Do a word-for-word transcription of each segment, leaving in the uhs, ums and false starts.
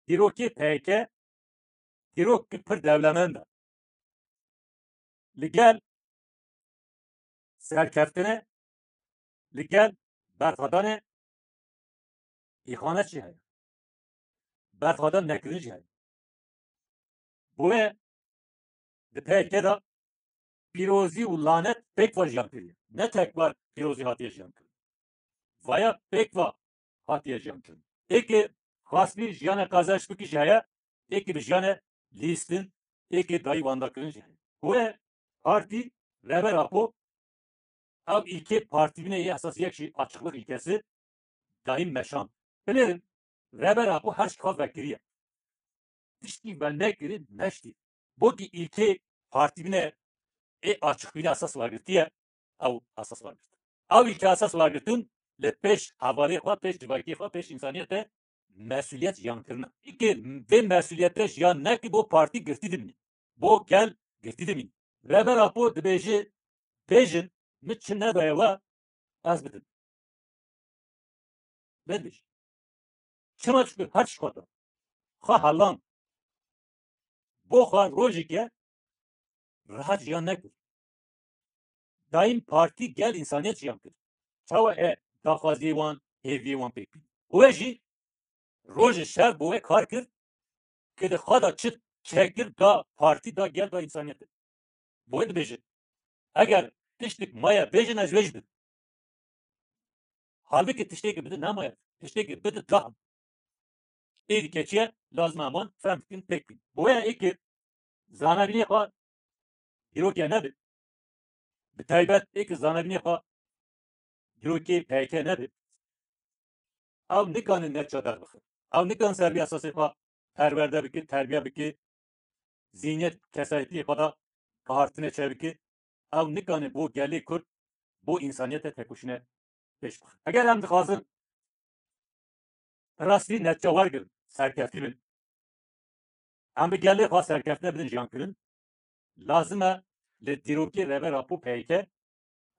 Dîrokê P Y K dîrokê pir dewlemend e. Li gel serkeftine, li gel berxwedanê îxanet jî heye. Berxwedan nekirin jî heye. Boye di P Y K de pîrozî û lanet pêk ve jiyan kiriye. Ne tek bar pîrozî hatiye jiyan kirin. Vaya pêk ve hatiye jiyan kirin. Êkê xwestî jiyane qezenç bikî jî heye, êkê bi jiyane lîstin, êkê dayî wenda kirin jî heye. Boye partî Rêber Apo ew îlkê partîbûnê yê esasî yek jî açıklık ilkesi daîm meşand. Binêrin, Rêber Apo her çi xwe vekiriye. Tiştî venekirî neştî. Bo kî îlkê partîbûnê ê açıkbûnê esas wergirtiye, ew esas wergirt. Ew îlkê esas wergirtin li pêş hevalê xwe, pêş civakê xwe, pêş însaniyetê mesuliyet jiyan kirine. Îkê vê mesuliyetê jiyan nekî bo partî girtî dimîne. Bo gel girtî dimîne. Rêber Apo dibêje, bêjin, min çi nedaye we, ez bidim. Bêdibêje. Çima? Çunku her çi xwe da. Xwe helan. Bo xwe rojeke rehat jiyan nekir. Daîm partî gel însaniyet jiyan kir. Çawa e daxwaziyê wan, hêviyê wan pêk bîn. Û we jî rojê şev bo we kar kir, ke di xwe de çi çekir da partî, da gel, da însaniyetê. Bo wê dibêje, eger tiştek maye bêjin, ez wê jî bidim. Halbikî tiştekî bidin nemaye, tiştekî bidin da. Êdî keçiye, lazim e eman fehm bikin, pêk bîn. Bo wê êkê zanebînê xwe dîrokê nebe. Bi taybet êkê zanebînê xwe dîrokê P Y K nebe. Ew nikane neçe derbixin. Ew nikan ser vî esasê xwe perwerde bike, terbiye bike, zîniyet, kesayetiyê xwe de bihartine çêbike. Ew nikane bo gelê Kurd, bo însaniyete tekoşîne pêş bixin. Eger em dixwazin rastî netîce wergirin, serkeftî bin, em bi gelê xwe serkeftine bidin jiyan kirin, lazim e li dîrokê Rêber Apo P Y K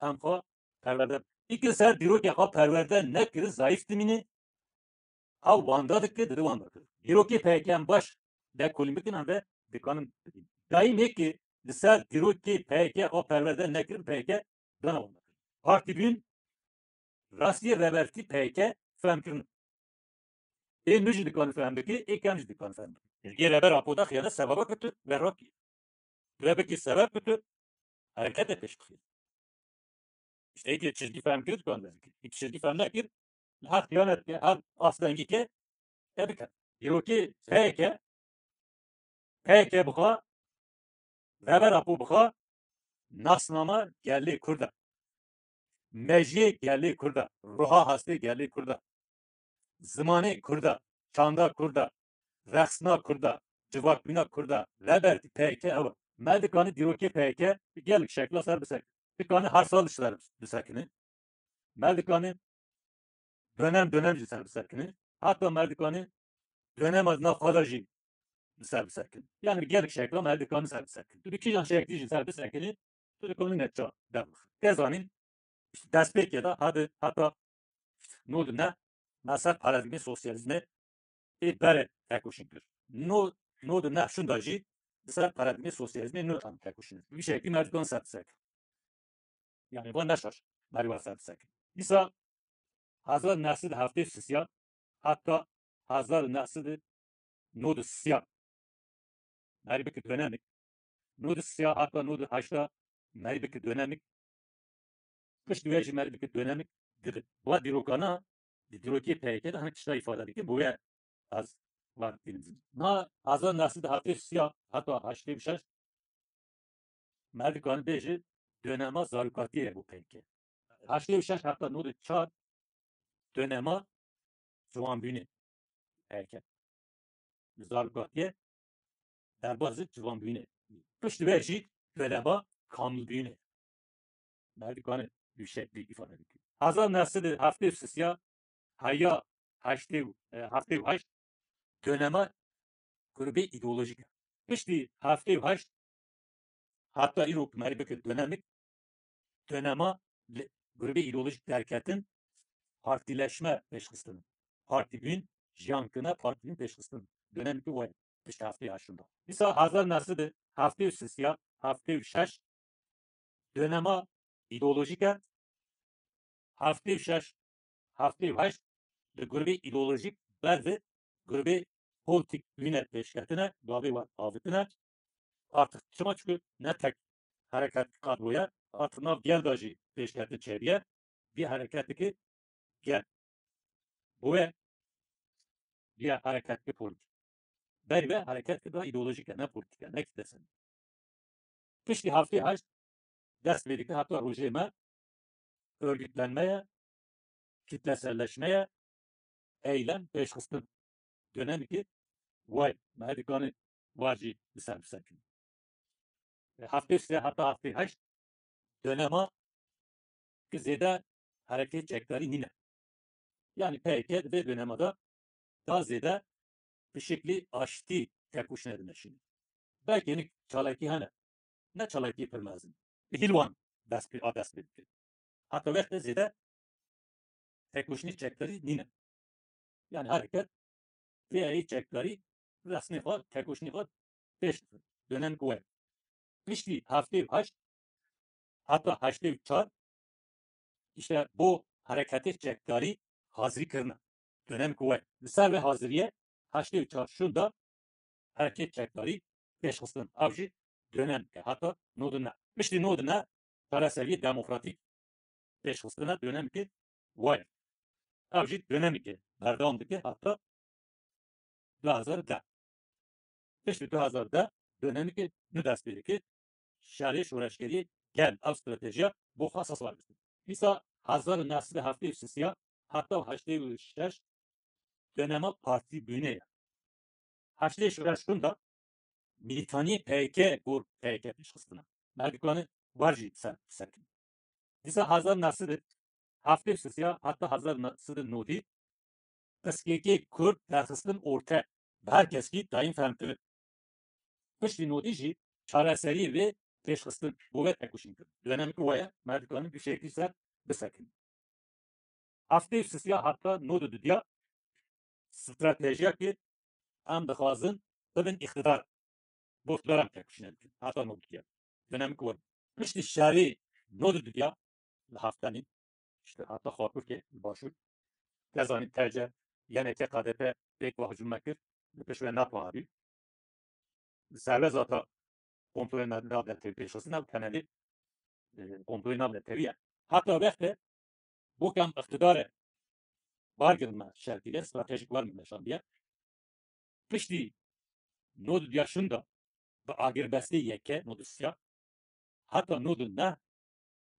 em xwe perwerde bikin. Îkil ser dîrokê xwe perwerde nekirin, zayîf dimîne, ew wanda dike, dide wanda kir. Dîrokê P Y K em baş dekolîn bikin, em ve dikanin bikin. Daîmê ki li ser dîrokê P Y K xwe perwerde nekirin, P Y K dana wanda kir. Partî bûn rastiyê rêbertî P Y K fehm kirin. Ê nû jî dikanin fehm bike, ê kem jî dikanin fehm bike. Yê Rêber Apo da xiyane sebeba ku tu berrak kî. Tu bikî sebeb ku tu herekete pêş bixî. İşte êkê çizgî fehm kir, dikan derkir. Êkê çizgî fehm nekir, li her xiyanet ke, her astengî ke, e bike. Dîrokê P Y K, P Y K bixwe, Rêber Apo bixwe, nasnama gelê Kurd e. Mejiyê gelê Kurd e. Ruha hastê gelê Kurd e. Zimanê Kurd e. Çanda Kurd e. Rexsna Kurd e. Civakbûna Kurd e. Rêbertî P Y K ew e. Me dikanî dîrokê P Y K bi gelek şekla ser bisekine. Dikanî her sal ser bisekine. Me dikanî dönem dönem jî ser bisekine. Heta me dikanî dönema di nav xwe de jî ser bisekine. Yani bi gelek şekla me dikanî ser bisekine. Tu di kîjan şeklî jî ser bisekinî, tu dikanî netîca derbixe. Tê zanîn, işte destpêkê de hadi heta nod û neh me ser paradîgmê sosyalîzmê ê berê tekoşîn kir. No, nod û neh şûnda jî di ser paradîgmê sosyalîzmê nû em tekoşîn. Bi vî şeklî me dikan ser bisekin. Yani van neşer merî wan ser bisekin. Dîsa hezar neh sed heftê û sisiya heta hezar neh sed nod û sisiya merî bike dönemik. Nod û sisiya heta nod û heşta merî bike dönemik. Pişt wê jî merî bike dönemik dibe. Va dîrokana, di dîrokê P Y K de hinek tişta îfade dike, bo wê ez va dînim. Na hezar neh sed heftê û sisiya heta heştê û şeş me dikanî bêje dönema zarokatiyê bo P Y K. Heştê û şeş heta nod û çar dönema ciwanbûnê P Y K. Zarokatiyê derbazî ciwanbûnê. Pişt wê jî dönema kamilbûnê. Me dikanî bi şeklî îfade dike. Hezar neh sed heftê û sisiya heya heştê û, e, heftê û heşt dönema grûbê îdeolojîk e. Piştî heftê û heşt heta îro ku merî bike dönemik, dönema li grûbê îdeolojîk derketin, partîleşme pêşxistin. Partîbûn, jiyan kirine, partîbûn pêşxistin. dönemekî we piştî heftê heşt şûnda. Dîsa hezar neh sed û heftê û sê ya, heftê û şeş dönema îdeolojîk e. Heftê û şeş, heftê û heşt di grûbê îdeolojîk ber bi grûbê polîtîk wîne pêşketine, gavê we avitine. Artık çima? Çünkü ne tek hereket kadroya, artık nav gel de jî pêşketin çêbiye, bir hereketiki gel. Bu ve bir hereketiki politik. Berî ve hereketiki da îdeolojik e, ne politik e, ne kitlesel. Piştî heftê heşt dest pê dike heta rojê me örgütlenmeye, kitleselleşmeye, eylem, pêşxistin. Dönemekî way, me dikane war jî bi ser bisekin. E, heftê sê heta heftê heşt dönema ki zêde hereket çekdarî nîne. Yani P Y K di vê dönema de daha zêde bi şeklî aştî tekoşîne dimeşîne. Belkî hinek çalakî hene. Ne çalakî pir mezin. Bi hîl wan dest pê, a dest pê dike. Heta wextê zêde tekoşînê çekdarî nîne. Yani hereket pê Y K çekdarî resmê xwe, tekoşînê xwe pêş dixin. Dönem ku we. Piştî heftê û heşt heta heştê û çar işte bo hereketê çekdarî hazirî kirine. Dönem ku we. Li ser vê haziriyê heştê û çar şûnda hereket çekdarî pêşxistin. Ev jî dönemke heta nod û neh. Piştî nod û neh çareseriyê demokratîk pêşxistine dönemke wayê. Ev jî dönemeke berdewam dike heta du hezar deh. Piştî du hezar deh dönemeke nû dest pê dike. Şerê şoreşgerî gel ev stratejiya bo xwe esas wergirtin. Dîsa hezar û neh sed û heftê û sê ya heta heştê û şeş dönema partî bûne ye. Heştê şoreşkun da milîtaniyê P Y K gor P Y K pêşxistine. Merdikane war jî ser, serkin. Dîsa hezar neh sed û heftê û sê ya heta hezar neh sed û nodî pirsgirêkê Kurd derxistin orte, bi her keskî dayîn fehmkirin. Piştî nodî jî çareserî vê pêşxistin bo vê tekoşîn kirin. Dönemekî we ye, me dikarin bi şeklî ser bisekin. Heftê û sê ya heta nod û dudiya stratejiya ki em dixwazin bibin îqtidar. Bo îqtidar em tekoşîne dikin. Heta nod û dudiya. Dönemekî we. Piştî şerê nod û dudiya li Haftenî, işte heta Xarpûrkê li başûr. Te zanî T C, Y N K, K D P pêk ve hicûm me kir. Li pêş ve NATO hatî. Serbest zata kontrolê nav, navnetewî pêşxistin ew temelî, e, kontrolê navnetewî ye. Heta wextê bo kem îqtidarê wergirin me şer kiriye, stratejîk wergirin me şandiye. Piştî nod û duya şûnda bi agirbestê yeke nod û sê ya heta nod û neh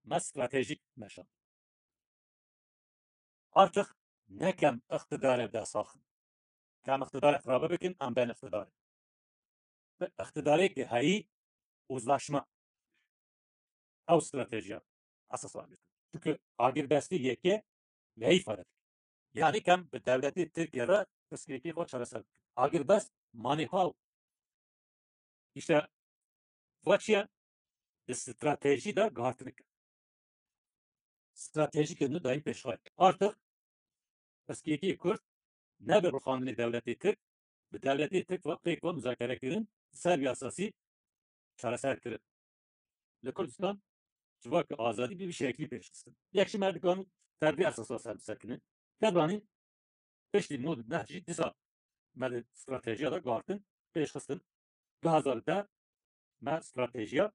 me stratejîk meşand. Artık ne kem îqtidarê bi dest axin. Kem îqtidarê xirabe bikin, em bên îqtidarê. Bi îqtidarê ki heyî uzlaşma. Ew stratejiya esas wergirtin. Çünkü agirbestî yeke veyî fare dike. Yani kem bi dewletê Tirkiye re pirsgirêkê xwe çareser bikin. Agirbest manî haw. İşte va çi ye? Di stratejî de guhartinik e. Stratejîkên nû dayîn pêşxwe. Artık pirsgirêkê Kurd ne bi rûxandinê dewletê Tirk, bi dewletê Tirk ve pêk ve muzakere kirin, ser vî esasî çareser kirin. Li Kurdistan civaka azadî bi vî şeklî pêşxistin. Yek ji me dikarin ser vî esasa ser bisekinin. Te zanîn piştî nod û neh jî dîsa me di stratejiya de guhartin, pêşxistin. Du hezar deh me stratejiya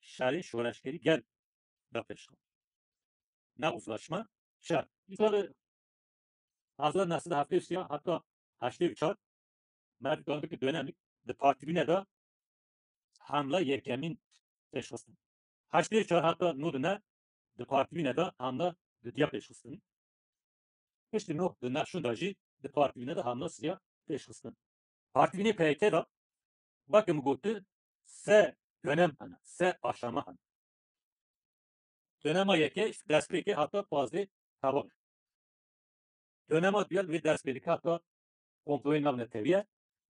şerê şoreşgerî gel da pêşxist. Ne uzlaşma, şer. Dîsa li hezar neh sed û heftê û sê ya heta heştê û çar me dikarin ki dönemik di partîbîne de hamla yekemîn pêşxistin. Heştê û çar heta nod û neh di partîbîne de hamla dudiya pêşxistin. Piştî nod û neh şûnda jî di partîbîne de hamla sêya pêşxistin. Partîbînê P Y K de weke min gotin se dönem hene, se aşama hene. Dönema yeke destpêkê heta pazdeh Tevan. Dönema duya wê dest pê dike heta komployê navnetewî ye.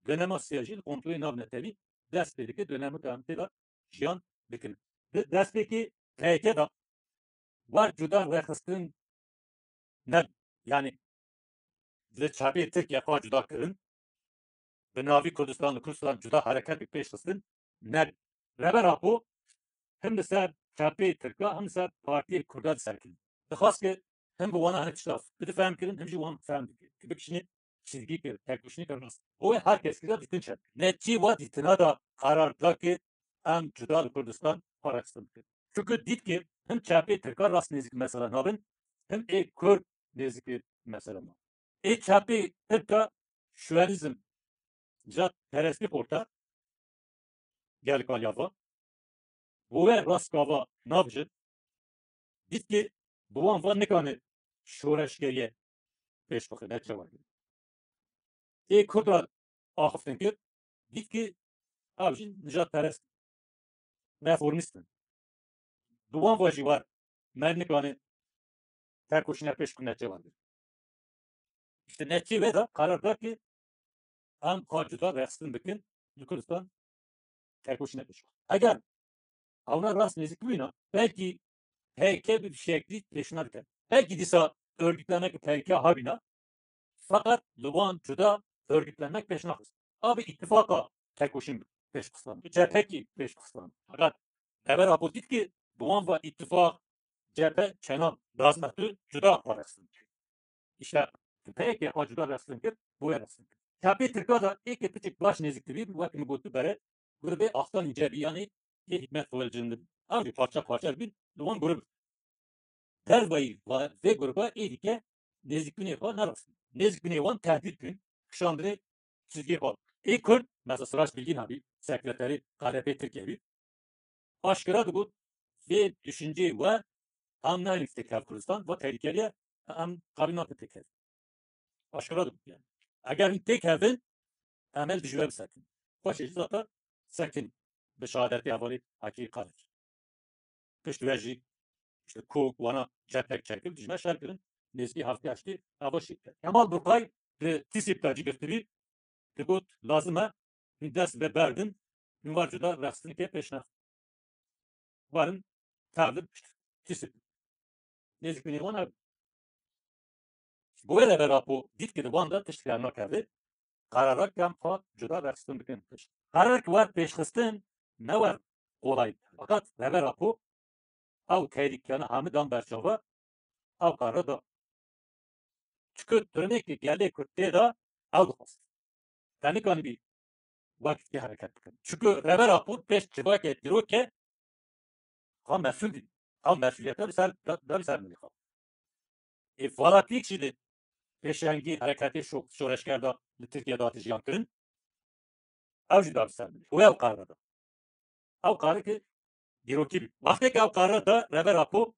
Dönema sêya jî li komployê navnetewî dest pê dike, dönemê ku em tê de jiyan dikin. Di destpêkê P Y K de war cuda rêxistin ne, yani li çepê Tirkiye xwe cuda kirin. bi navî Kurdistan li Kurdistan cuda hereketê pêş xistin, ne. Rêber Apo him li ser çepê Tirka, him li ser partiyê Kurda diserkin. Dixwast ki him bi wana hinek tişta bide fehm kirin, him jî wan fehm bike. Ki bikişîne çizgî kir, tekoşîneke rast. Bo wê her kes kira dîtin çep. Netî wa dîtina da karar da ki em cuda li Kurdistan parastin bikin. Çunku dît ki him çepê Tirka rast nêzîk mesela nabin, him ê Kurd nêzîk mesela nabin. Ê çepê Tirka şuwerîzm, nijadperestî xorta, gelek aliya va. Bo we rast gava nabijin. Dît ki bi wan va nikane şoreşgeriye pêş bixe, ne çawa. Ê Kurda axiftin kir, dît ki ew jî nijadperest in, reformîst in. Bi wan va jî war me nikane tekoşîne pêş xwe, ne çawa. Îşte netîcê wê de karar da ki em xwe cuda rexistin bikin, li Kurdistan tekoşîne pêş xwe. Eger ewna rast nêzîk bibîna, belkî P K K bi şeklî pêşina dike. Belkî dîsa örgütlemek P K K hebîna, feqet li wan cuda örgütlemek pêş naxist. A bi îtifaqa tekoşîn pêş xistan, bi cephekî pêş xistan. Feqet Rêber Apo dît ki bi wan va îtifaq, cephe, çenan lazim e tu cuda xwe rexistin. Îşte P K K xwe cuda rexistin kir, bi wê rexistin kir. Çepê Tirka da ê ke piçek baş nêzîk dibî, wek min got tu bere, grubê Aslanî Cebî, yanî ê Hikmet Xwelcin dibî. Ew jî parça parça dibîn, li wan grub. Dervayî va-, vê gruba ê dîke nêzîkbûnê xwe nerast. Nêzîkbûnê wan tehdîd bûn, kişandinê çizgê xwe. Ê Kurd, mesela Sirac Bilgin hebî, sekreterê K D P Tirkiye bî, aşkera digot, vê düşünceyê we em nayên têkev Kurdistan, va tehlikeliye, em qabîl nakin têkev. Aşkera digot yani. Eger hûn têkevin, em ê li dijî we bisekin. Xweşê jî zaten sekin bi şehadetê hevalê Hekî Kadir. Pişt ve jî işte Kok, wana cephek çekir, dijî me şer kirin. Nêzîkî heftê heştê eva şî. Kemal Burkay di Tîsîp de cî girtibî, digot, lazim e hûn dest bi berdin, hûn war cuda rexistinekê pêş nexin. Warin tevlib Tîsîp. Nêzîkbûnê wan hebû. Bo wê Rêber Apo dît ki di wan de tişt dernakeve, qerara kem xwe cuda rexistin bikin pişt. Qerarek wer pêşxistin ne wer kolay. Feqet Rêber Apo ew tehlîkeyana hemû dan ber çava, ew qerara da. Çiku turnekê gelê Kurd tê de ew dixwest. Te nikanibî wek dîkê hereket bikin. Çiku Rêber Apo pêş civakê dîroke xwe mesûl dît. Ew mesûliyeta li ser, da, da li ser milê xwe. Ê Valatîk jî li pêşengî hereketê şo-, şoreşger de li Tirkiye de hate jiyan kirin. Ew jî da li ser milê. Û ew qara da. Ew qara ki dîrokî bî. Wextê ki ew qara da Rêber Apo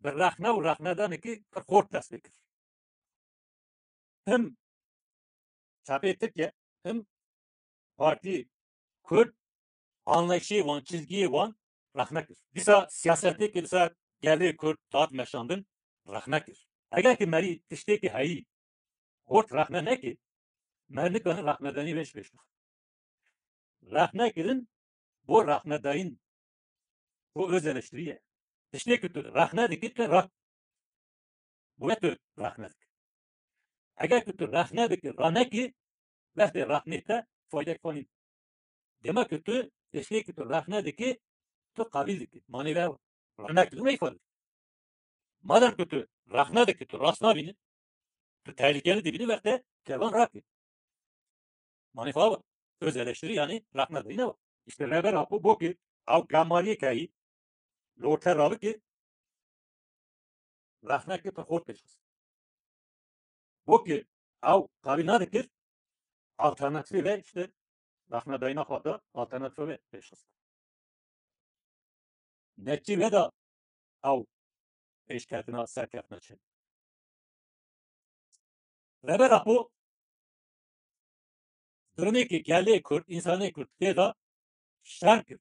bi rexne û rexnedanekî pir xort dest pê kir. Him çapê Tirkiye, him Partî Kurd anlayışê wan, çizgiyê wan rexne kir. Dîsa siyasetê ki li ser gelê Kurd dihat meşandin rexne kir. Eger ki merî tiştê ki heyî xort rexne neke, me nikane rexnedanî wê ji pêş bixe. Rexnekirin bo rexnedayîn, bo öz eleştiriye. Tiştê ki tu rexne dikî, tu rak. Bo wê tu rexne dikî. Eger ki tu rexne dikî, ranekî, wextê rexnê te faydek xwe nîn. Dema ki tu tiştê ki tu rexne dikî, tu qebîl dikî. Manê ve rexnekirin wê îfade dikî. Madem ku tu rexne dikî, tu rast nabînî, tu tehlikeli dibînî, wextê kevan rakî. Manê xwe ew e. Öz eleştiri yani rexne dayîne wa. Îşte Rêber Apo bo ki ew gemariyê keyî li orte rabikî, rexnekî pir xort pêş xist. Bo ki ew qebîl nadikir, alternatîfê ve îşte rexnedayîna xwe da, alternatîfê ve pêş xist. Netîcê ve de ew pêşketina serkeftina çi. Rêber Apo durumê ki gelê Kurd, însanê Kurd tê de şer kir.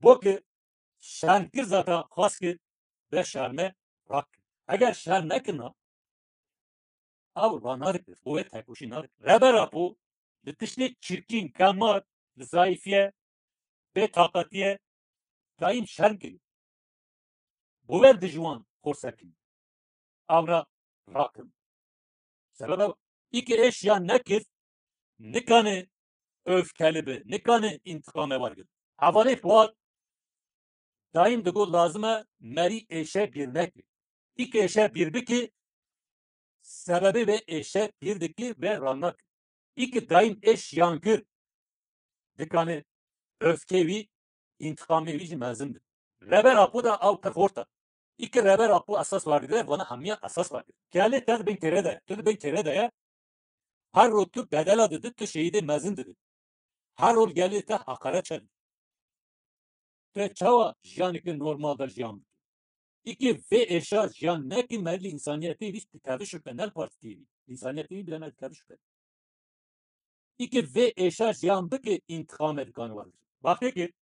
Bo ki şer kir zaten xwest ki be şerme rak. Eger şer nekirina, ew ranadikir, bo wê tekoşî nadikir. Rêber Apo li tiştê çirkîn, gemar, li zayîfiye, bê taqetiye, dayîm şer kiriye. Bo wê dijwan xorsekî. Ew re rakin. Sebeb ew Î ki êş yan nekir, nikane öfkeli bi, nikane întiqame wergir. Hevalê Fuat daîm digo lazim e merî êşe bîr nekir. Î ki êşe bîr bikî, sebebê vê êşe bîr dikî ve ranakir. Î ki daîm êş yan kir, dikane öfkê wî, întiqamê wî jî mezin bi. Reber Apo da ew pir xort e. Î ki Reber Apo esas werdigire, vana hemiya esas werdigire. Gelê te di bin kêre de, tu di bin kêre de ye, her rol tu bedela didi, tu şehîdê mezin didi. Her rol gelê te haqaret çe didi. Tu çawa jiyaneke normal de jiyan bikî? Î ki vê êşa jiyan nekî, merî li însaniyetê wî dikeve şüphe, ne li partîkê wî. Însaniyetê wî bile ne dikeve şüphe. Î ki vê êşa jiyan bike, întiqame dikane wergir. Wextê ki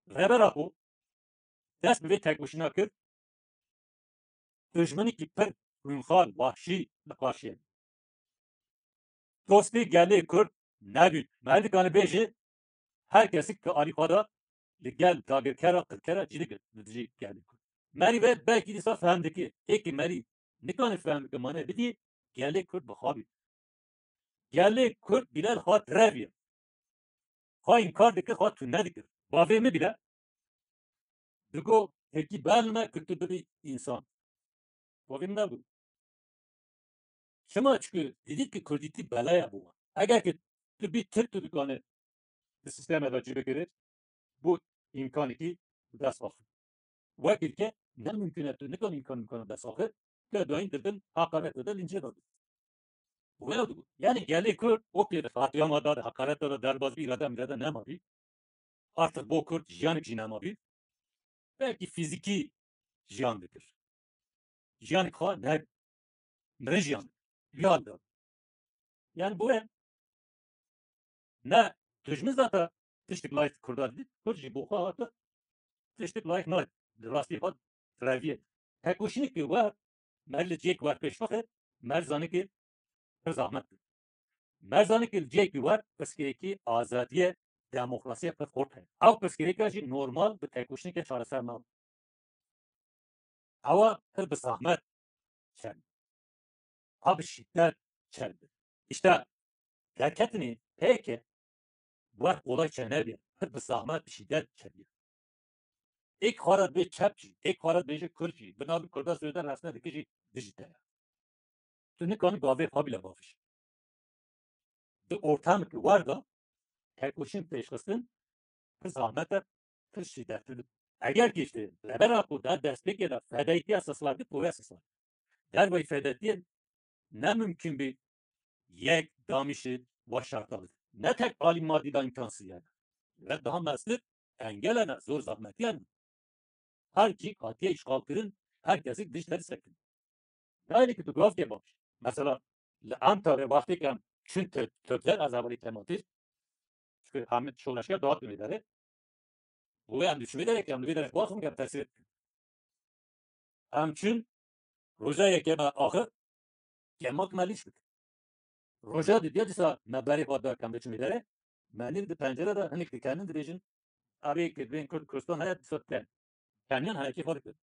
Reber Apo dest bi vê tekoşîna kir, dijminekî pir xwînxar, wahşî li qarşî ye. Dostê gelê Kurd nebîn. Merî dikane bêje, her kesik ki alî xwe da li gel dagirkera, qirkera cî dikir li dijî gelê Kurd. Merî ve belkî dîsa fehm dikir. Ê ki merî nikane fehm bike, mane bidî, gelê Kurd bi xwe bî. Gelê Kurd bîle li xwe direvî. Xwe înkar dikir, xwe tune dikir. Bavê min bîle digo, hêkî bel me ku tu bibî însan. Bavê min ne bû. Çima? Çikû didît ki kurdîtî bela ye bo wan. Eger ki tu bî tirk, tu dikane di sîsteme de cî bigirî, bû îmkanekî bi dest axî. Wekî ke ne mumkin e, tu nikan îmkan îmkan bi dest axî, tu dayîn didin, haqaret didin, lîncê de didin. Wê digot. Yani gelê Kurd o pê de qatliama da, de haqareta da, derbas bî, îrade mîrade nemabî. Artık bo Kurd jiyanek jî nemabî. Belkî fîzîkî jiyan dikir. Jiyanek xwe ne, mirin jiyan dikir. Vî hal de. Yani bo em ne dijmin zata tiştik layik Kurda dît, Kurd jî bo xwe hate tiştik layik nayê. Li rastî xwe reviyê. Tekoşînekê wer, mer li cihêk wer pêş bixe, mer zanike pir zahmet e. Mer zanike li cihêkî wer pirsgirêkî azadiye, demokrasiye pir xurt heye. Ew pirsgirêka jî normal bi tekoşîneke çareser nabe. Ewa pir bi zahmet çer. A bi şîdet çer. İşte derketinê peyke wer kolay çe nebî. Pir bi zahmet, bi şîdet çe bî. Êk xwe re dibê çep jî, êk xwe re dibêje kurd jî, bi navê kurda zêde rexne dike jî dijî te ye. Tu nikanî gavê xwe bîle bavêjî. Di ortamekî wer de tekoşîn pêşxistin pir zahmet e, pir şîdetli. Eger ki işte Reber Apo da destpêkê de fedayîtiya sislar dî, poya sislar. Derveyî fedayîtiyê ne mumkin bî yek damîşî wa şerta bide. Ne tek alî madî de îmkansîz ye. Ve daha mestir engele ne, zor zahmetiye ne. Her cî hatiye îşxal kirin, her kesik dij derî sekin. Gayrî ki tu gavkê baş. Mesela li Ankarê wextê ke em çûn Tirk-, Tirkler, ez hevalî Kemal Tirk, çünkü hemî şoreşger dawet wê derê. Û em diçûn vê derê ke em li vê derê xwaxin ke em tesîr bikin. Em çûn roja yekê me axir, kemak me lîş bik. Roja didiya dîsa me berê xwe da ke em diçûn vê derê, me nîv di pencere de hinek dikenin dibêjin, "Erê, ki bên Kurd Kurdistan heye, dîsa ten." Keniyan heyekê xwe dikir.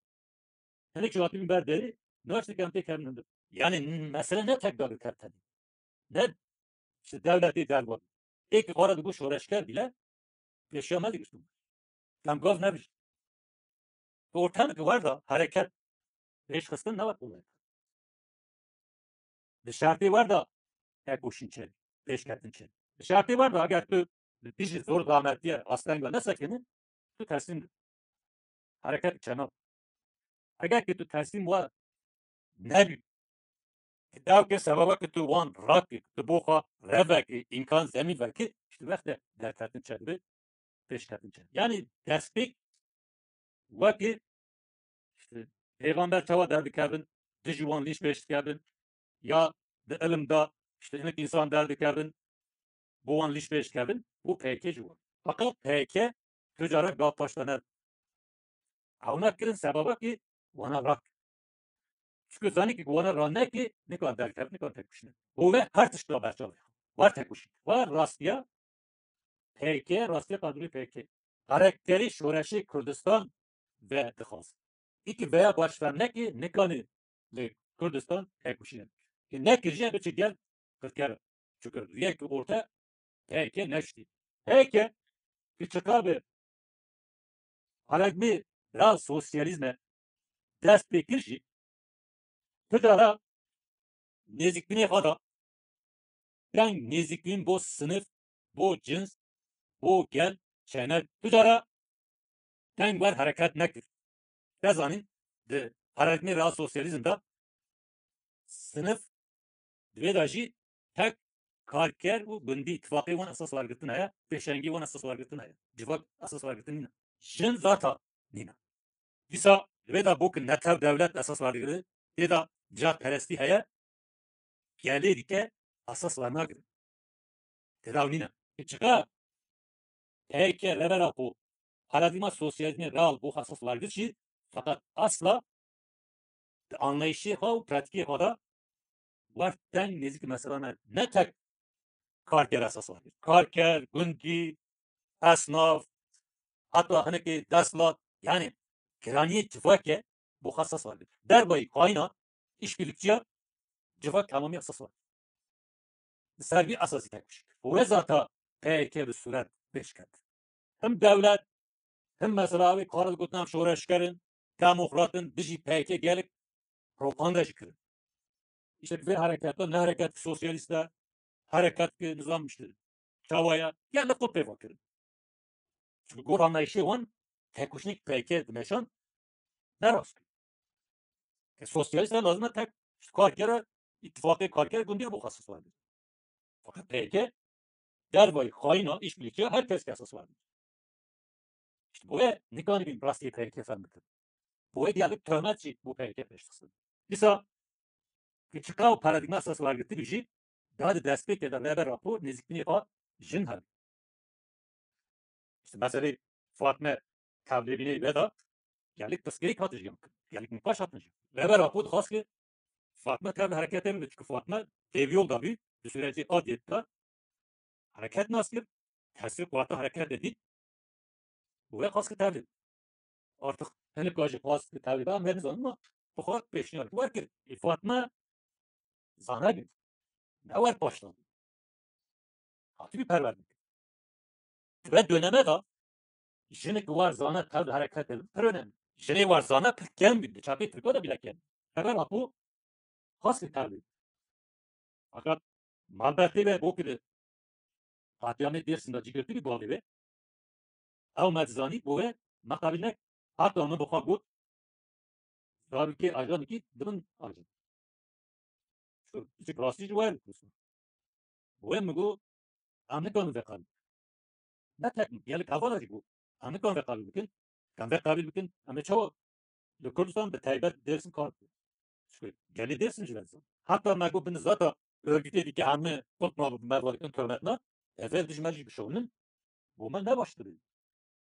Hinek jî hatibîn ber derî, naştikan tê kevin hundir. Yani mesele ne tek dagirker tenê. Ne işte devletê dervan. Êk xwe re digot şoreşker bîle, pêşiya me digirtin. Em gav nebijin. Di ortamekî wer de hereket pêşxistin ne wek wê. Di şertê wer de tekoşîn çê, pêşketin çê. Di şertê wer de eger tu li dijî zor zahmetiye asteng de nesekinî, tu teslîm dibî. Hereket çe nabe. Eger ki tu teslîm we nebî, ki dewke sebeba ki tu wan rakî, tu bo xwe revekî, îmkan zemîn vekî, işte wextê derketin çe dibe, pêşketin çe. Yani destpêk wekî işte pêxamber çawa derdikevin, dijî wan lîş pêş dikevin, ya di ilim de işte hinek însan derdikevin, bo wan lîş pêş dikevin, û P K K jî wan. Feqet P K K tu cara gav paş de ne. Ewna kirin sebeba ki wana rak. Çünkü zanî ki wana ra nekî, nikan derkev, nikan tekoşîne. Û ve her tişt da berçavê. War tekoşîn. War rastiya P K K, rastiya kadroyê P K K. Karakterê şoreşê Kurdistan ve dixwaz. Î ki veya baş fem nekî, nikanî li Kurdistan tekoşîne. Ki nekir jî, biçi gel qirker. Çunke riyek orte P Y K neştî. P Y K ki çiqa bi paradîgmê real sosyalîzme dest pê kir jî, tu cara nêzîkbûnê xwe da deng nêzîkbûn bo sinif, bo cins, bo gel çêne. Tu cara deng wer hereket nekir. Te zanîn, di paradîgmê real sosyalîzm de sinif di vê de jî tek karker û gundî, tifaqê wan esas wergirtin heye, pêşengî wan esas wergirtin heye. Civak esas wergirtin nîne. Jin zata nîne. Dîsa di vê de bo ki netew dewlet esas werdigire, tê de nijadperestî heye, gelê dike esas wernagire. Tê de ew nîne. Çiqa P Y K, Rêber Apo, paradîgma sosyalîzmê real bo xwe esas wergirt jî, feqet asla di anlayışê xwe û pratîkê xwe de wer deng nêzîk mesela ne, ne tek karker esas wergirt. Karker, gundî, esnaf, heta hinekê desthilat, yani giraniyê civakê bo xwe esas wergirt. Dervayî xayîna, îşbirlikçiya civak temamî esas wergirt. Li ser vî esasî tekoşîn kir. Û wê zata P Y K bi sûret pêş ket. Him dewlet, him mesela wê kara digotin em şoreşger in, demokrat in, dijî P Y K gelek propaganda jî kirin. Îşte vê hereketa, ne hereket sosyalîst e, hereket ki nizam işte çawa ye, gelek xwe pêva kirin. Çunke gor anlayışê wan tekoşînek P Y K dimeşan ne rast. Ke sosyalîst e lazim e tek karkera, îttifaqê karker gundî bo xwe esas werdin. Fakat P Y K dervayî xayîna, îşbirlikçiya her kes ki esas werdin. İşte bo wê nikanîbîn rastiyê P Y K fehm bikin. Bo wê gelek töhmet jî bo P Y K pêş dixistin. Dîsa ki çiqa û paradîgma esas wergirtî bî jî, daha di destpêkê de Rêber Apo nêzîkbûnê xwe jin hebî. İşte meselê Fatme tevlêbînê wê de gelek pirsgirêk hate jiyan kirin. Gelek nîqaş hatin jiyan. Rêber Apo dixwast ki Fatme tevli hereketê bibe, çünkü Fatme têviyol da bî, di sürecê adiyê de hereket nas kir, tesîr quweta hereketê dît, û wê xwest ki tevlî. Artık hinek jî xwest ki tevlî be, em vê nizanin, ma bi xwe pêşniyar kir. Wer kir. Ê Fatme zana bî. Ne wer paştan. Hatibî perwerdin. Di vê döneme de jinik war zana tev di hereketê de pir önemli. Jinê war zana pir kem bî. Di çapê Tirka de bile kem. Rêber Apo xwest ki tev bî. Fakat malbetê ve bo ki di qatiyanê Dêrsim de cî girtibî bavê ve. Ew me dizanî bo ve meqabîl nek. Hatta min bi xwe got, zarokê ajanekî dibin ajan. Şu küçük rastî ji wer dikirin. Bo ve min got, em nikarin vê qebîl. Ne tek min, gelek hevala jî got, em nikarin vê qebîl bikin. Em vê qebîl bikin, em ê çawa li Kurdistan, bi taybet Dêrsim kar bikin. Çünkü gelê Dêrsim jî wer dizan. Hatta me got, bin zata örgütê dike hemî kutna bi me dikin, töhmetna, ev ê dijî me jî bişewnin, bo me ne baştir e.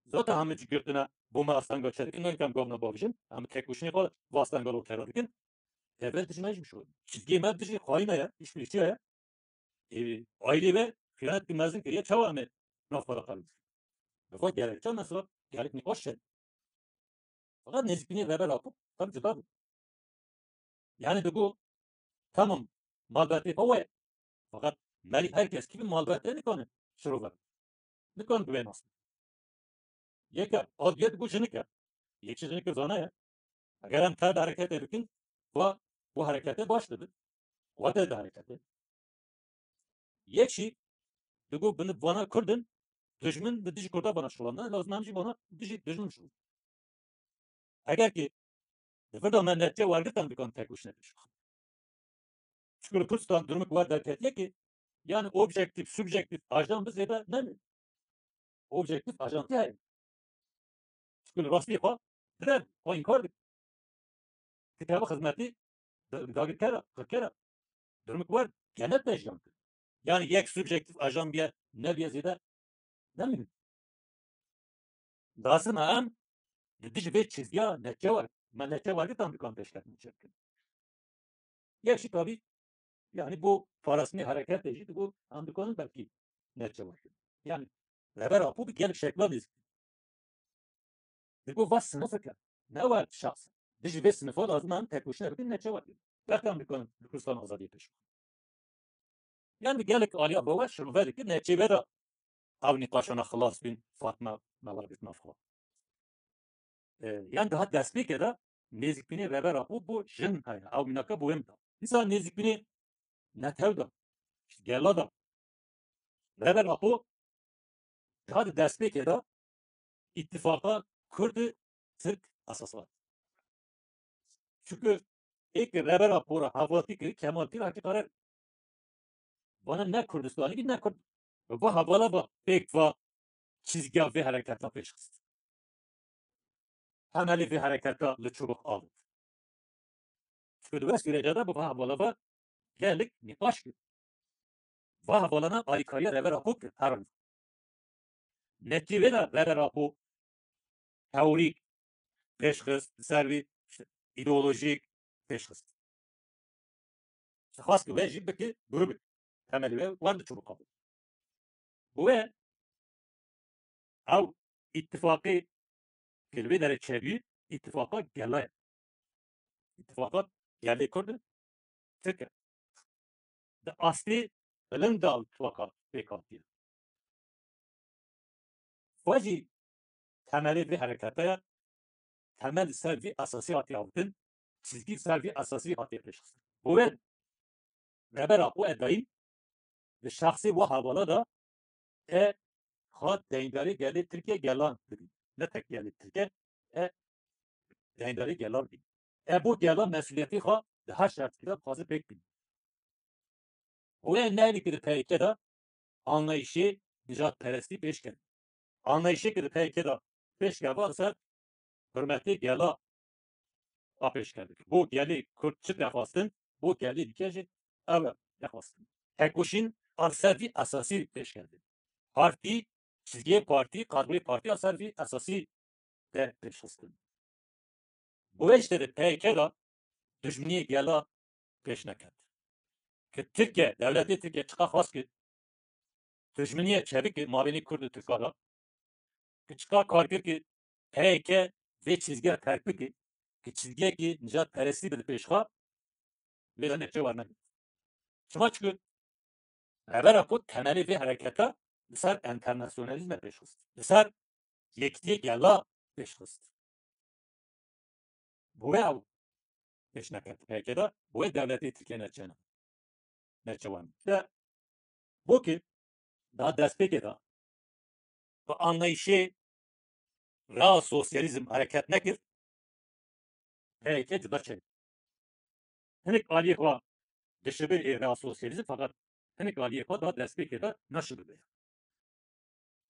Zata hemî cî girtine bo me astengel çêdikin, ne kem gavna bavêjin, em tekoşînê xwe bi astengel ortaya dikin. Ev ê dijî me jî bişewnin. Çizgiyê me dijî xayîna ye, îşbirlikçiya ye. Ê, ailê ve xiyanet ki mezin kiriye, çawa em ê nav xwe de qebîl bikin? Bi xwe gerekçe mesela gelek nîqaş çêdikin. Fakat nêzîkbûnê Rêber Apo tam cuda bû. Yani digo, tamam, malbetê xwe ye. Fakat merî her kes kî bi malbetê nikane şirove. Nikane bi wê nas. Yeke, a diye digo jinik e. Yek jî jinik zana ye. Eger em tev di hereketê bikin, va, bu hereketê baş dibe. Quwete di hereketê. Yek jî digo, binî vana Kurd in, dijmin li dijî Kurda vana şulandin, lazim em jî vana dijî dijmin şulandin. Eger ki di vir de me netçe wergirtan, dikan tekoşîne pêş bixin. Çünkü li Kurdistan durumik wer derketiye ki, yani objektîf, subjektîf, ajan bi zêde nemê. Objektîf, ajantî heye. Çünkü li rastî xwe dire, xwe înkar dike. Kitaba xizmetî da-, dagirkera, qirkera. Durumik wer genet de jiyan kir. Yani yek subjektîf ajan biye, nebiye zêde, ne muhîm. Lazim e em li dijî vê çizgiya netçe wer, me netçe wergirtan dikan pêşketin çêbikin. Yek jî tabî, yani bu parastinê hereketê jî digo em dikarin belkî netçe wergirin. Yani Rêber Apo bi gelek şekla nêzîk. Digo va sinifik e, ne wer şexs. Dijî vê sinifa lazim e em tekoşîne bikin, netçe wergirin. Belkî em dikarin li Kurdistan azadiyê pêş bixin. Yanî gelek aliya ve we şirove dikir, neçê ve de ew nîqaşana xilas bîn, Fatma me we girtine fixwe. E, yan dihat destpêkê de nêzîkbînê Rêber Apo bo jin heye. Ew mînaka bo wê min da. Dîsa nêzîkbînê netew de, gela de. Rêber Apo dihat destpêkê de îtîfaqa Kurd û Tirk esas hat. Çunku ê ki Rêber Apo re hevaltî kir, Kemal Kir hakî karar. Vana ne Kurdistanî bî, ne Kurd. Va hevala va pêk va çizgiya vê hereketa pêş xist. Temelê vê hereketa li çubuk avêt. Çunku di wê sürece de bi va hevala va gelek nîqaş kir. Va hevalana alîkariya Rêber Apo kir, her an. Netî vê de Rêber Apo teorîk pêş xist, li ser vî îdeolojîk pêş xist. Xwest ki wê jî bike grûbik. Temelî wê wer di çubuk avêt. Bi wê ew îttifaqê ki li vê derê çêbû, îttifaqa gela ye. Îttifaqa gelê Kurd û Tirk e. Di astê bilind de îttifaqa pêk hatiye. Xwe jî temelê vê hereketa ye, temel li ser vî esasî hatiye avêtin, çizgî li ser vî esasî hatiye pêşxistin. Bo wê Rêber Apo e dayîn di şexsê wa hevala de e xwe deyndarê gelê Tirkiye gelan dibî. Ne tek gelê Tirkiye, e deyndarê gelan dibî. E bo gelan mesuliyetê xwe di her şertikî de dixwaze pêk bîne. Wê neynikî di P Y K de anlayîşê nijadperestî pêş kene. Anlayîşê ki di P Y K de pêş keva li ser hurmetê gela a pêşkevdike. Bo gelê Kurd çi dixwastin, bo gelê dike jî ew e dixwastin. Tekoşîn a li ser vî esasî pêşkevdin. Partî, çizgiyê partî, kadroyê partî a ser vî esasî de pêşxistin. Bi wê jî de P Y K de dijminiyê gela pêş neket. Ki Tirkiye, dewletê Tirkiye çiqa xwest ki dijminiyê çêbike mabênê Kurd û Tirka de, ki çiqa kar kir ki P Y K vê çizgiya terk bike, ki çizgiyekî nijadperestî bide pêş xwe, vê de netice wernegirtin. Çima? Çunku Rêber Apo temelê vê hereketa li ser enternasyonalîzme pêş xist. Li ser yekitiyê gela pêş xist. Bo wê ew pêş neket P Y K de, bo wê dewletê Tirkiye neçene. Neçewan. De, bo ki da destpêkê de bi anlayîşê rea sosyalîzm hereket nekir, P Y K cuda çêbû. Hinek aliyê xwe dişibin ê rea sosyalîzm, feqet hinek aliyê xwe da destpêkê de naşibibe.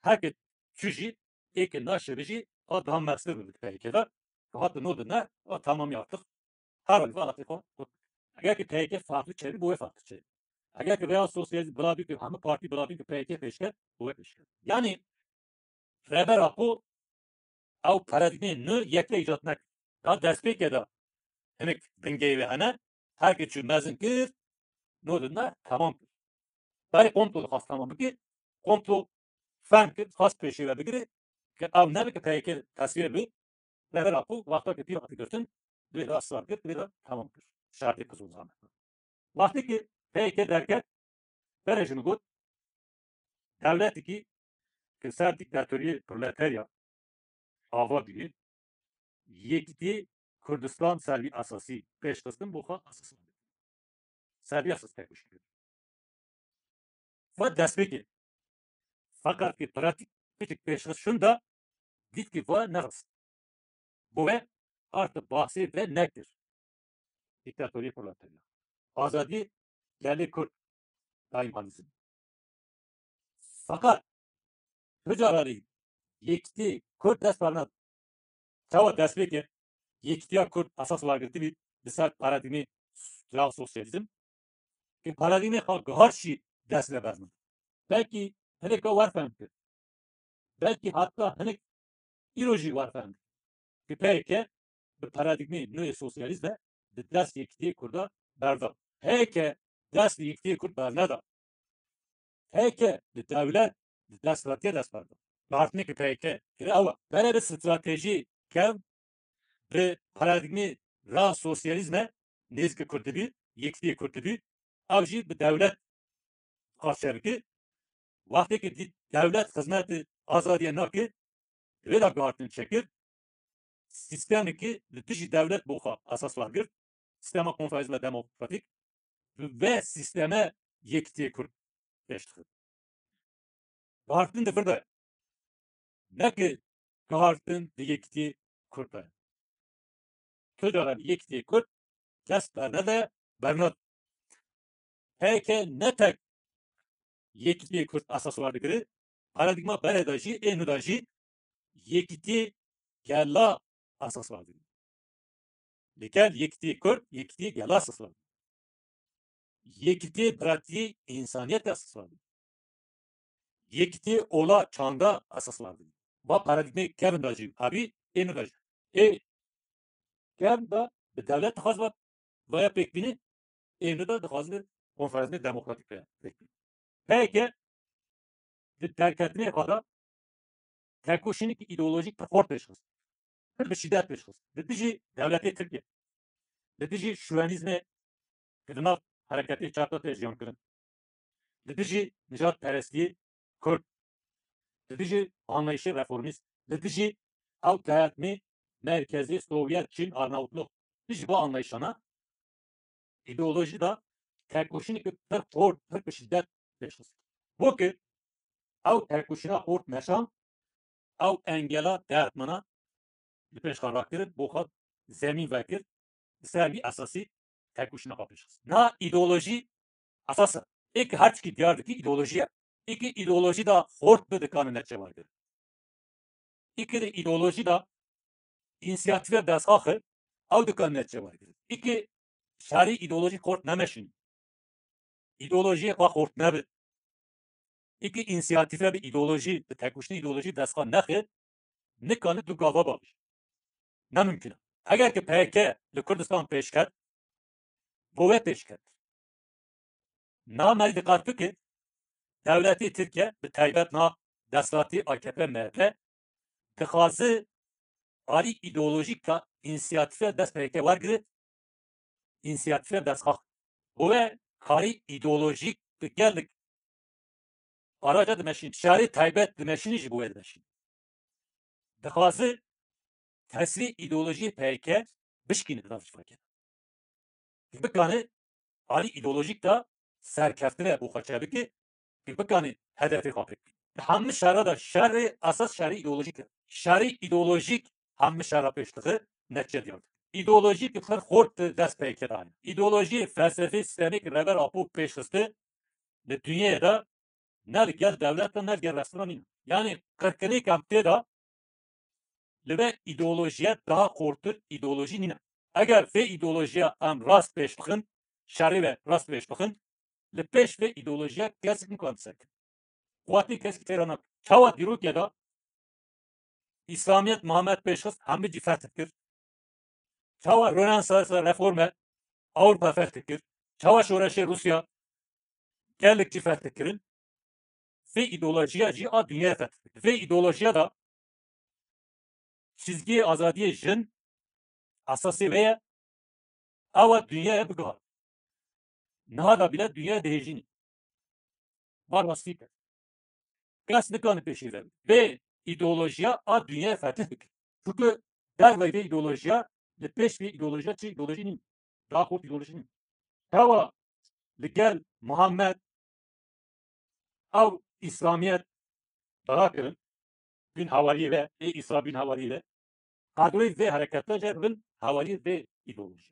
Her ki çû jî, ê ki naşibi jî, a daha mestir bi P Y K de, ki hat no de ne, a tamamî artık. Her halî ve alatê xwe. Eger ki P Y K farklı çêbî, bo wê farklı çêbî. Eger ki rea sosyalîzm bila bî ki hemî partî bila bî ki P Y K pêşket, bo wê pêşket. Yanî Rêber Apo ew paradîgmê nû yekle îcat nekir. Da destpêkê de hinek bingehê wê hene, her ki çû mezin kir, no de ne, temam kir. Berê komplo dixwast temam bike, komplo fehm kir, xwest pêşê ve bigire, ki ew nebe ki P Y K tesvîr bi, Rêber Apo wexta ki pîr hate girtin, divê de israr kir, divê de temam kir. Şertê Qizilzame. Wextê ki P Y K derket, berê jin got, dewletekî ki ser dîktatoriyê proleterya ava bî, yekîtî Kurdistan ser vî esasî pêş xistin bo xwe esas. Ser vî esas tekoşîn kir. Ve destpêkê. Feqet ki pratîk piçik pêş xist şûnda, dît ki ve nerast. Bo wê artık bahsê ve nekir. Dîktatorî proletarya. Azadî gelê Kurd. Daîmanîzm. Feqet tu cararî yekîtî Kurd dest berned. Çawa destpêkê yekîtiya Kurd esas wergirtibî li ser paradîgmê real sosyalîzm? Ki paradîgmê xwe gihar jî dest ve berned. Belkî hinek wer fehm kir. Belkî hatta hinek îro jî wer fehm kir. Ki P Y K bi paradîgmê nû yê sosyalîst de di dest yekîtiyê Kurda berda. Heye ke dest li yekîtiyê Kurd berneda. Heye ke li dewlet, li desthilatiyê dest berda. Guhartinê ki P Y K kire ew e. Berê bi stratejî kev bi paradîgmê ra sosyalîzme nêzîkî Kurd dibî, yekîtiyê Kurd dibî. Ew jî bi dewlet qarşî bike. Wextê ki dît dewlet xizmetê azadiyê nake, wê de guhartin çêkir. Sîstemekî li dijî dewlet bo xwe esas wergirt. Sîstema konfederalîzma demokratîk ve sîsteme yekîtiyê Kurd pêş dixin. Guhartin di vir de ye. Ne ki guhartin di yekîtiyê Kurd de ye. Tu cara li yekîtiyê Kurd dest bernede, bernade. P Y K ne tek yekîtiyê Kurd esas war digire, paradîgma berê de jî, ê nû de jî yekîtiyê gela esas war digire. Li gel yekîtiyê Kurd, yekîtiyê gela esas war digire. Yekîtiyê biratiyê însaniyetê esas war digire. Yekîtiyê ola çanda esas war digire. Va paradîgmê kevin de jî hebî, ê nû de jî. Ê kevin de bi dewlet dixwaz va vaya pêk bîne, ê nû de dixwazin konfederalîzmê demokratîk vaya pêk bîne. P Y K di derketinê xwe de tekoşînekî îdeolojîk pir xort pêş xist. Pir bi şîdet pêş xist. Li dijî dewletê Tirkiye. Li dijî şuwenîzmê ki di nav hereketê çarda tê jiyan kirin. Li dijî nijadperestiyê Kurd. Li dijî anlayışê reformîst. Li dijî ew dayatmê merkezî Sovyet, Çin, Arnavutluk. Dijî bu anlayışana îdeolojî de tekoşîneke pir xort, pir bi şîdet pêş xist. Bo ki ew tekoşîna xort meşan, ew engela derdmana li pêş xwe rakir, bo xwe zemîn vekir, li ser vî esasî tekoşîna xwe pêş xist. Na îdeolojî esas e. Ê ki her tişkî diyar dikî îdeolojî ye. Ê ki îdeolojî de xort bi dikane netçe wergir. Ê ki di îdeolojî de însiyatîfe destxaxi ew dikane netçe wergir. Ê ki şerî îdeolojî xort nemeşîn. Îdeolojiyê xwe xort nebi. Ê ki însiyatîfe bi îdeolojî, bi tekoşînê îdeolojî destxwe nexi, nikane du gava babij. Ne mimkun e. Eger ki P Y K li Kurdistan pêş ket, bo we pêş ket. Na merî diqat bike, dewletê Tirkiye, bi taybet na desthilatî A K P M H P, dixwaze alî îdeolojîk de însiyatîfe dest P Y K wergire, însiyatîfe destxax. Bo we karî îdeolojîk bi gelek araca dimeşîn, şarê taybet dimeşînî ji bo we dimeşîn. Dixwaze tesirê îdeolojiyê P Y K bişkîne di nav civakê. Ki bikane alî îdeolojîk de serkeftine bo xwe çêbike, ki bikane hedefê xwe pêk bîne. Di hemî şerra de şerê esas şerê îdeolojîk e. Şerê îdeolojîk hemî şerra pêş dixe, netîce diyar dike. Îdeolojî ki pir xort di dest P Y K de hene. Îdeolojiyê felsefê sîstemê ki Rêber Apo pêş xiste, li dinyayê de ne li gel dewlet de ne li gel restina nîne. Yanî qirkirinê ke em tê de li vê îdeolojiye daha xortir îdeolojî nîne. Eger vê îdeolojiya em rast pêş bixin, şerê ve rast pêş bixin, li pêş vê îdeolojiya kesik nikare ser ket. Quwetê kesik tê re nake. Çawa dîrokê de Îslamiyet Muhammed pêş xist, hemî cî feth kir. Çawa Rönesansa reforme Ewropa feth kir. Çawa şoreşê Rûsya gelek cî feth kirin. Vê îdeolojiya jî a dinyayê feth kir. Vê îdeolojiya de çizgiyê azadiyê jin esasê vê ye. Ew e dinyayê bigihar. Niha da bîle dinyayê dihêjînî. Bar rastî kir. Kes nikane pêşî ve. Vê îdeolojiya a dinyayê fetih bike. Çunku dervey vê îdeolojiya li pêş vê îdeolojiya çi îdeolojî nîn. Daha xort îdeolojî nîn. Çawa li gel Muhammed ew Îslamiyet dara kirin, bin hawariyê ve, ê Îsa bin hawariyê ve, kadroyê vê hereketa jî bin hawariyê vê îdeolojî.